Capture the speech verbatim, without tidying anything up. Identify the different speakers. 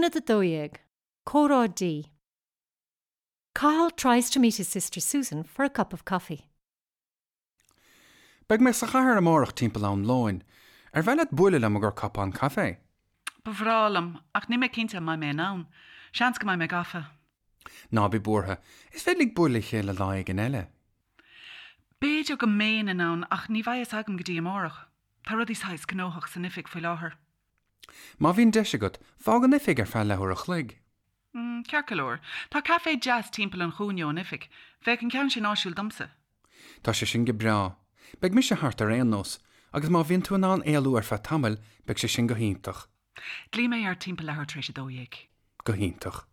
Speaker 1: Aonad a dó dhéag, Comhrá D. Cathal tries to meet his sister Susan for a cup of coffee.
Speaker 2: Beidh mé sa chathair amárach timpeall am lóin, Ar mhaith leat bualadh liom i gcomhair cupán caife.
Speaker 3: Ba bhreá liom, ach níl mé cinnte an mbeidh mé in ann. Seans go mbeidh mé gafa.
Speaker 2: Ná bí buartha, is féidir linn bualadh le chéile lá éigin eile.
Speaker 3: B'fhéidir go mbeinn in ann ach ní bheidh a fhios agam go dtí amárach. Tá rudaí saghas gnóthach san oifig faoi láthair.
Speaker 2: Má bhíonn deis agat, fág an oifig ar feadh leathuair a chloig.
Speaker 3: Mm, ceart go leor. Tá caife deas timpeall an chúinne ón oifig. Bheadh an ceann sin áisiúil domsa.
Speaker 2: Tá sé sin go breá. Beidh mise thart ar aon nós, agus má bhíonn tú in ann éalú ar feadh tamaill, beidh sé sin go hiontach.
Speaker 3: Glaofaidh mé ort timpeall leathuair tar éis a dó dhéag.
Speaker 2: Go hiontach.